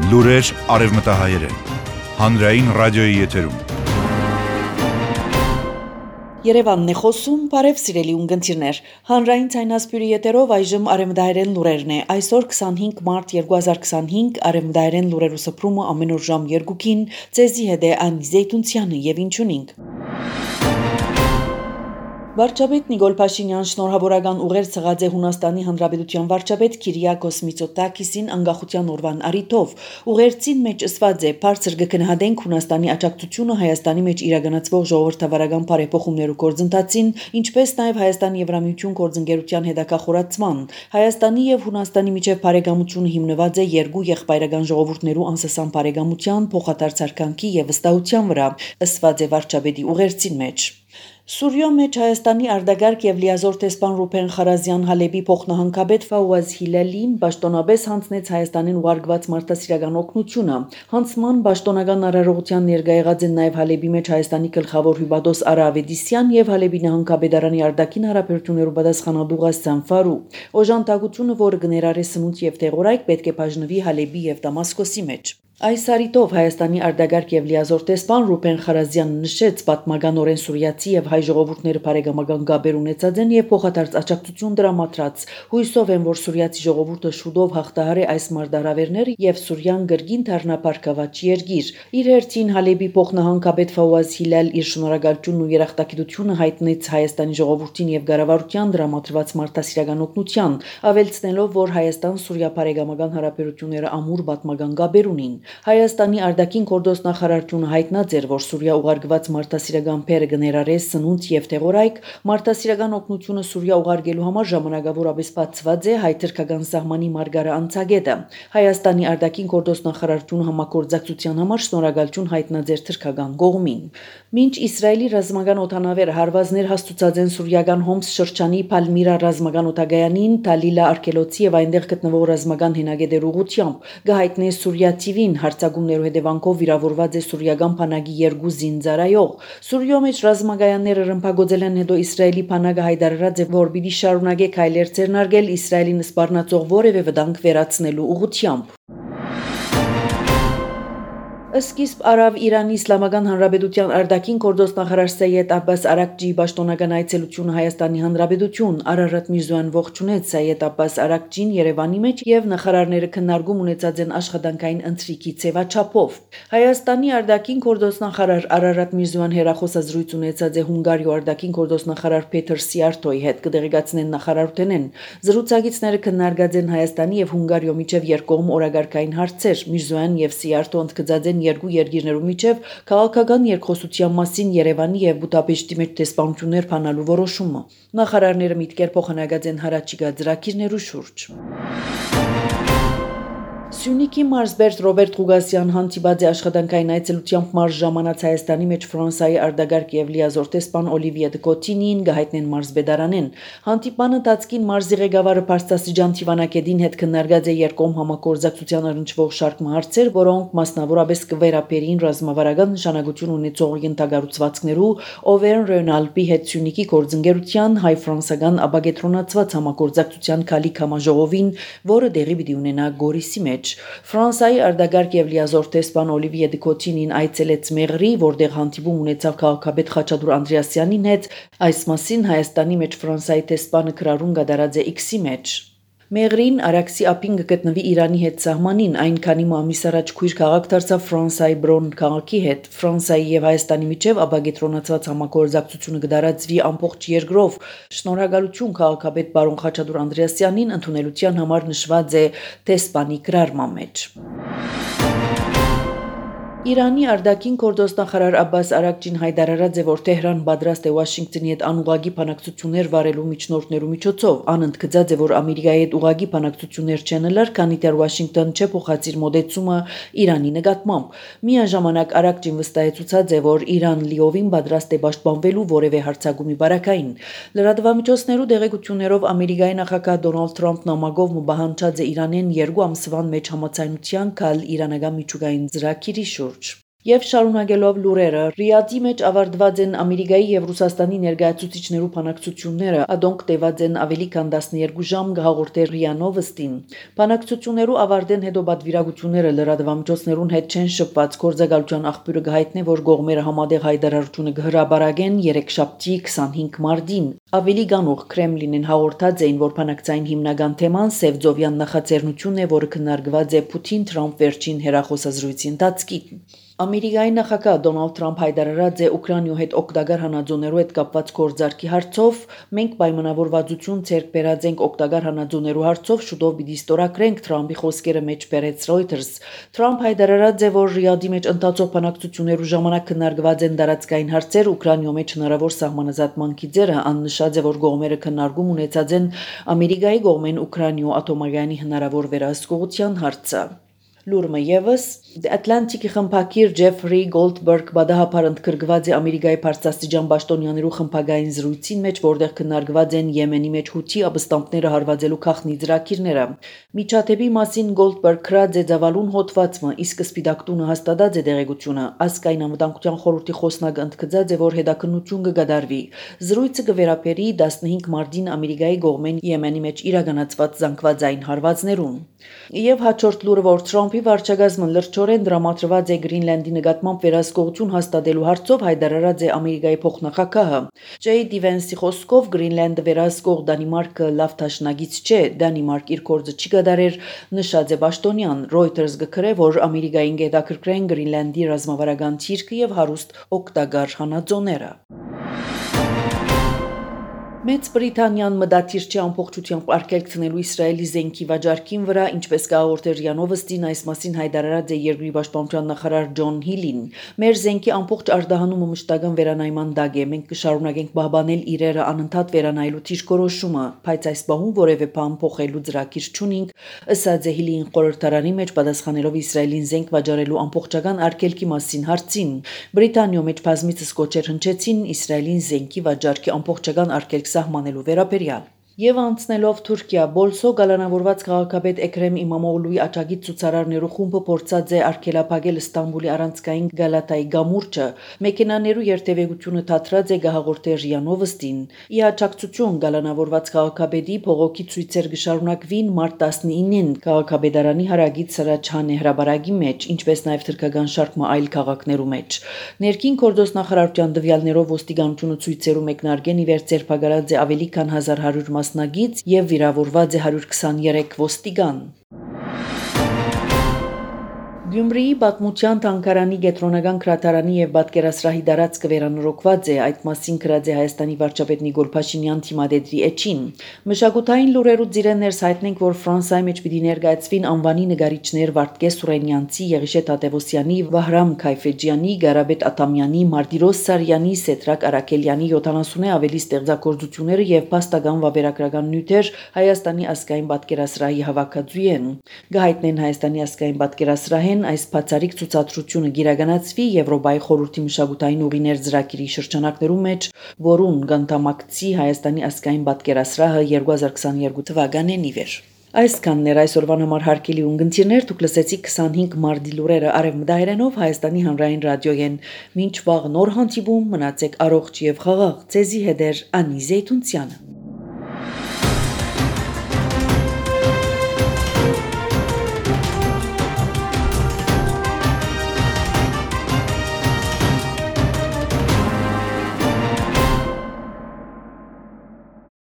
Լուրեր արևմտահայերեն, հանրային ռադիոյի եթերում։ Երևանն է խոսում, բարև սիրելի ունգընտիրներ, հանրային ցայնասպյուրի եթերով այժմ արևմտահայերեն լուրերն է, այսօր 25 մարտ 2025, արևմտահայերեն լուրերու սփռումը ամեն օր ժամ 2-ին, ձեզի հետ է Անի Զեյթունցյանը եւ ինչ ունենք։ Վարչապետ Նիկոլ Փաշինյան շնորհավորական ուղերձ ցղած է Հունաստանի Հանրապետության վարչապետ Քիրիակոս Միծոտակիսին անկախության օրվան առիթով։ Ուղերձին մեջ ասված է. «Բարձր կգնահատենք Հունաստանի աջակցությունը Հայաստանի մեջ իրականացվող ժողովրդավարական բարեփոխումներու գործընթացին, ինչպես նաև Հայաստանի Եվրամիություն գործընկերության հետագա խորացման։ Հայաստանի եւ Հունաստանի միջև բարեկամությունը հիմնված է երկու եղբայրական ժողովուրդներու անսասան բարեկամության, փոխադարձ հարկանքի եւ վստահության վրա», ասված է վարչապետի ուղերձին մեջ։ Սուրիո մեջ Հայաստանի արտագաղթ եւ լիազոր տեսփան Ռուբեն Խարազյան Հալեբի փոխնահանգապետ Ֆաուազ Հիլալին պաշտոնապես հանձնեց Հայաստանին ուղարկված մարդասիրական օգնությունը։ Հանձնման պաշտոնական արարողության ներկա եղած են նաեւ Հալեբի մեջ Հայաստանի գլխավոր հյուպատոս Արա Ավետիսյան եւ Հալեբի նահանգապետարանի արտաքին հարաբերություններու պատասխանատու Ղասան Ֆարու։ Օժանդակությունը, որը կներառի սնունդ եւ տեղորայք, պետք է բաժնվի Հալեբի եւ Դամասկոսի մեջ։ Այս առիթով Հայաստանի արտագաղթ եւ լիազոր տեսփան Ռուբեն Խարազյանն նշեց պատմականորեն սուրիացի եւ հայ ժողովուրդները բարեկամական գաբեր ունեցած են եւ փոխադարձ աջակցություն դրամատրած։ Հույսով են, որ սուրիացի ժողովուրդը շուտով հաղթահարի այս մարտահրավերները եւ Սուրիան գրգին դառնա բարգավաճ երկիր։ Իր հերթին Հալեբի փոխնահանգապետ Ֆաուազ Հիլալ իր շնորհակալությունն ու երախտագիտությունը հայտնեց Հայաստանի ժողովրդին եւ կառավարության դրամատրված մարդասիրական օգնության, ավելցնելով, որ Հայաստան-Սուրիա բարեկամական հարաբերությունները ամուր պատմական գաբեր ունին։ Հայաստանի արտաքին գործ նախարարությունը հայտնած էր, որ Սուրիա ուղարկված մարդասիրական փերը կներառի սնունդ եւ տեղորայք, մարդասիրական օգնությունը Սուրիա ուղարկելու համար ժամանակավորապես բացված է հայ-թուրքական սահմանի մարգարե անցագետը։ Հայաստանի արտաքին գործ նախարարությունը համագործակցության համար շնորհակալություն հայտնած էր թուրքական կողմին։ Մինչ Իսրայելի ռազմական օդանավեր հարվածներ հաստուցած են սուրիական Հոմս շրջանի Պալմիրա ռազմական օդագայանին, Թալիլա արկելոցի եւ այնտեղ գտնվող ռազմական հենագետեր ուղությամբ, կհայտնի Սուրիա TV-ին հարձակումներու հետևանքով վիրավորված է սուրիական բանակի 2 զինծառայող։ Սուրիո մեջ ռազմագայանները ռմբակոծել են հետո Իսրայելի բանակը հայտարարած է, որ պիտի շարունակի քայլեր ձեռնարկել Իսրայելին սպառնացող որևէ վտանգ վերացնելու ուղղությամբ։ Սկիզբ արավ Իրանի Իսլամական Հանրապետության արտաքին գործ նախարար Սայեդ Աբբաս Արաքջիի պաշտոնական այցելությունը Հայաստանի Հանրապետություն, Արարատ Միրզոյան ողջունեց Սայեդ Աբբաս Արաքջին Երևանի մեջ եւ նախարարները քննարկում ունեցած են աշխատանքային ընթրիքի ձևաչափով։ Հայաստանի արտաքին գործ նախարար Արարատ Միրզոյան հերախոսազրույց ունեցած է Հունգարիո արտաքին գործ նախարար Պետր Սիարտոյի հետ, կդեղեկացնեն նախարարութենեն։ Զրուցակիցները քննարկած են Հայաստանի եւ Հունգարիո միջև երկկողմ օրակարգային հարցեր։ Միրզոյան եւ Սիարտոն ընդգծած են երկու երկիրներու միջև քաղաքական երկխոսության մասին Երևանի եւ Բուդապեշտի մեջ դեսպանություններ փանալու որոշումը։ Նախարարները միտքեր փոխանակած են հարաճիգա ծրագիրներու շուրջ։ Սյունիքի մարզբերդ Ռոբերտ Ղուգասյան հանդիպած է աշխատանքային այցելությամբ մարզ ժամանած Հայաստանի մեջ Ֆրանսիայի արտագաղթ եւ լիազոր տեսփան Օլիվիե դե Կոտինին կհայտնեն մարզբեդարանեն։ Հանդիպանը տածկին մարզի ղեկավարը Փարստասիջան Թիվանակեդին հետ քննարկած է երկկողմ համագործակցության առնչվող շարք հարցեր, որոնք մասնավորապես կվերապերին ռազմավարական նշանակություն ունեցող ենթակառուցվածքներու Օվերն Ռենալպի հետ Սյունիքի գործընկերության հայ-ֆրանսական ապագետրոնացված համագործակցության քալիք համաժողովին, որը դեղի պիտի ունենա Գորիսի մեջ։ Ֆրանսիայի արտագաղթ եւ լիազոր տեսփան Օլիվիե դե Կոտինին այցելեց Մեղրի, որտեղ հանդիպում ունեցավ քաղաքապետ Խաչատուր Անդրեասյանին հետ։ Այս մասին Հայաստանի մեջ Ֆրանսիայի տեսփանը քրարուն կատարած է X-ի մեջ։ Մեղրին Արաքսի ափին գտնվի Իրանի հետ սահմանին, այնքանի ամիս առաջ քույր քաղաք դարձավ Ֆրանսիայի Բրոն քաղաքի հետ։ Ֆրանսիայի եւ Հայաստանի միջև ապագետրոնացված համագործակցությունը կդարածվի ամբողջ երկրով։ Շնորհակալություն քաղաքապետ բարոն Խաչատուր Անդրեասյանին ընդունելության համար նշված է տեսփանի գրառման մեջ։ Իրանի արտաքին գործ նախարար Աբբաս Արաքջին հայտարարած է, որ Թեհրան պատրաստ է Վաշինգտոնի հետ անուղղակի բանակցություններ վարելու միջնորդներու միջոցով։ Անընդգծած է, որ Ամերիկայի հետ ուղղակի բանակցություններ չեն լար, քանի դեռ Վաշինգտոն չէ փոխած իր մոդեցումը Իրանի նկատմամբ։ Միաժամանակ Արաքջին վստահեցուցած է, որ Իրան լիովին պատրաստ է պաշտպանվելու որևէ հարձակումի բարակային։ Լրատվամիջոցներու դեղեցություններով Ամերիկայի նախագահ Դոնալդ Թրամփն ամագով մբահանջած է Իրանեն 2 ամսվան մեջ համաձայնության գալ իրանական միջուկային ծրագիրի շուրջ։ Եվ շարունակելով լուրերը, Ռիադի մեջ ավարտված են Ամերիկայի եւ Ռուսաստանի ներկայացուցիչներու բանակցությունները, ադոնք տևած են ավելի քան 12 ժամ, գահաղորդեր ՌԻԱ Նովոստին։ Բանակցություններու ավարտեն հետո բادվիրագությունները լրատվամիջոցներուն հետ չեն շփված գործակալության աղբյուրը գահիտնե, որ կողմերը համատեղ հայտարարությունը կհրաբարագեն երեքշաբթի 25 մարտին։ Ավելի գանուղ Կրեմլինին հաղորդած էին, որ բանակցային հիմնական թեման Սևծովյան նախաձեռնությունն է, որը քննարկված է Պուտին-Թրամփ վերջին հեռախոսազրույցի ընթացքին։ Ամերիկայի նախագահ Դոնալդ Թրամփ հայտարարած է Ուկրաինայու հետ օգտակար հանածոներու հետ կապված գործարքի հարցով. մենք պայմանավորվածություն ցերկ բերած ենք օգտակար հանածոներու հարցով, շուտով պիտի ստորագրենք, Թրամփի խոսքերը մեջ բերեց Reuters։ Թրամփ հայտարարած է, որ Ռիադի մեջ ընթացող բանակցություններու ժամանակ քննարկված են տարածքային հարցեր, Ուկրաինայու մեջ հնարավոր սահմանազատման գիծերը, աննշած է, որ կողմերը քննարկում ունեցած են Ամերիկայի կողմեն Ուկրաինայու ատոմագայանի հնարավոր վերահսկողության հարցը։ Լուրը եւս The Atlantic-ի խմբագիր Ջեֆրի Գոլդբերգ բադահապար ընդգրկված է Ամերիկայի բարձրաստիճան պաշտոնյաներու խմբագային զրույցին մեջ, որտեղ քննարկված են Եմենի մեջ Հութի ապստամբները հարվածելու քաղաքնի ծրագիրները։ Միջադեպի մասին Գոլդբերգ քրած է ցավալուն հոդվածը, իսկ Սպիտակ տունը հաստատած է դեղեցությունը։ Ասկային անվտանգության խորհրդի խոսնակը ընդգծած է, որ հետաքննություն կգադարվի։ Զրույցը կվերապերի 15 մարտին Ամերիկայի կողմեն Եմենի մեջ իրականացված զանգվածային հարվածներուն։ Եվ հաջորդ լուրը, որ Թրամփի վարչակազմը լրջորեն դրամատրված է Գրինլանդի նկատմամբ վերահսկողություն հաստատելու հարցով, հայտարարած է Ամերիկայի փոխնախագահը։ Ջեյ Վենսի խոսքով Գրինլանդը վերահսկող Դանիմարկը լավ դաշնակից չէ, Դանիմարկ իր գործը չի կատարեր, նշած է պաշտոնյան։ Reuters գկրե, որ Ամերիկային հետաքրքրեն Գրինլանդի ռազմավարական թիրքը եւ հարուստ օգտակար հանածոները։ Մեծ Բրիտանիան մտադիր չի ամբողջությամբ արգելքցնելու Իսրայելի զենքի վաճառքին վրա, ինչպես կհաղորդեր ՌԻԱ Նովոստին, այս մասին հայտարարած է երկրի պաշտպանության նախարար Ջոն Հիլին։ Մեր զենքի ամբողջ արտահանումը մշտական վերանայման տակ է, մենք կշարունակենք պահպանել իրերը անընդհատ վերանայելու դիրքորոշումը, բայց այս պահում որևէ բան փոխելու ծրագիր չունենք, ըսած է Հիլին խորհրդարանի մեջ պատասխանելով Իսրայելին զենք վաճառելու ամբողջական արգելքի մասին հարցին։ Բրիտանիայում մեջ բազմիցս կոչեր հնչեցին Իսրայելին զենքի վաճառքի ամբողջական արգելք սահմանելու վերաբերյալ։ Եվ անցնելով Թուրքիա, Բոլսո գալանավորված քաղաքապետ Էքրեմ Իմամօղլուի աջակից ցուցարարներու խումբը փորձած է արգելափակել Ստամբուլի առանցքային Գալատայի գամուրջը։ Մեքենաներու երթևեկությունը թատրած է գահաղորդեր ՌԻԱ Նովոստին։ Ի աջակցություն գալանավորված քաղաքապետի փողոքի ցույցեր կշարունակվին մարտ 19-ին քաղաքապետարանի հարագից Սրաչհանե հրաբարակի մեջ, ինչպես նաև թուրքական շարք այլ քաղաքներու մեջ։ Ներքին գործոս նախարարության տվյալներով ոստիկանությունը ցույցերու մեկնարկեն ի վեր ձերբակալած է ավելի քան 1100 մասնագիծ եւ վիրավորված է 123 ոստիգան։ Գյումրիի Բաթմутյան թանգարանի գետրոնական քրատարանի եւ պատկերասրահի դարածքը վերանորոգված է, այդ մասին գրած է Հայաստանի վարչապետ Նիկոլ Փաշինյան թիմադեդի էջին։ Մշակութային լուրերու ծիրեններս հայտնենք, որ Ֆրանսիայի մեջ պիտի ներկայացվին անվանի նկարիչներ Վարդգես Սուրենյանցի, Եղիշե Թադևոսյանի, Վահրամ Քայֆեջյանի, Գարաբետ Աթամյանի, Մարտիրոս Սարյանի, Սեդրակ Արաքելյանի 70-ը ավելի ստեղծագործությունները եւ փաստական վավերագրական նյութեր Հայաստանի ազգային պատկերասրահի հավաքածու են։ Գահիտնեն Հայաստանի ազգային պատկերասրահեն այս բացառիկ ցուցադրությունը գիրականացվի Եվրոպայի խորհրդի մշակութային ուղիներ ծրագիրի շրջանակներում մեջ, որուն կընդամակցի Հայաստանի ազգային պատկերասրահը 2022 թվականին ի վեր։ Այսքանն էր այսօրվան համար հարգելի ունգընտիրներ, դուք լսեցիք 25 մարտի լուրերը Արևմտահայերենով Հայաստանի հանրային ռադիոյեն։ Մինչ վաղ նոր հանդիպում, մնացեք առողջ եւ խաղաղ։ Ձեզի հետ է Անի Զեյթունցյանը։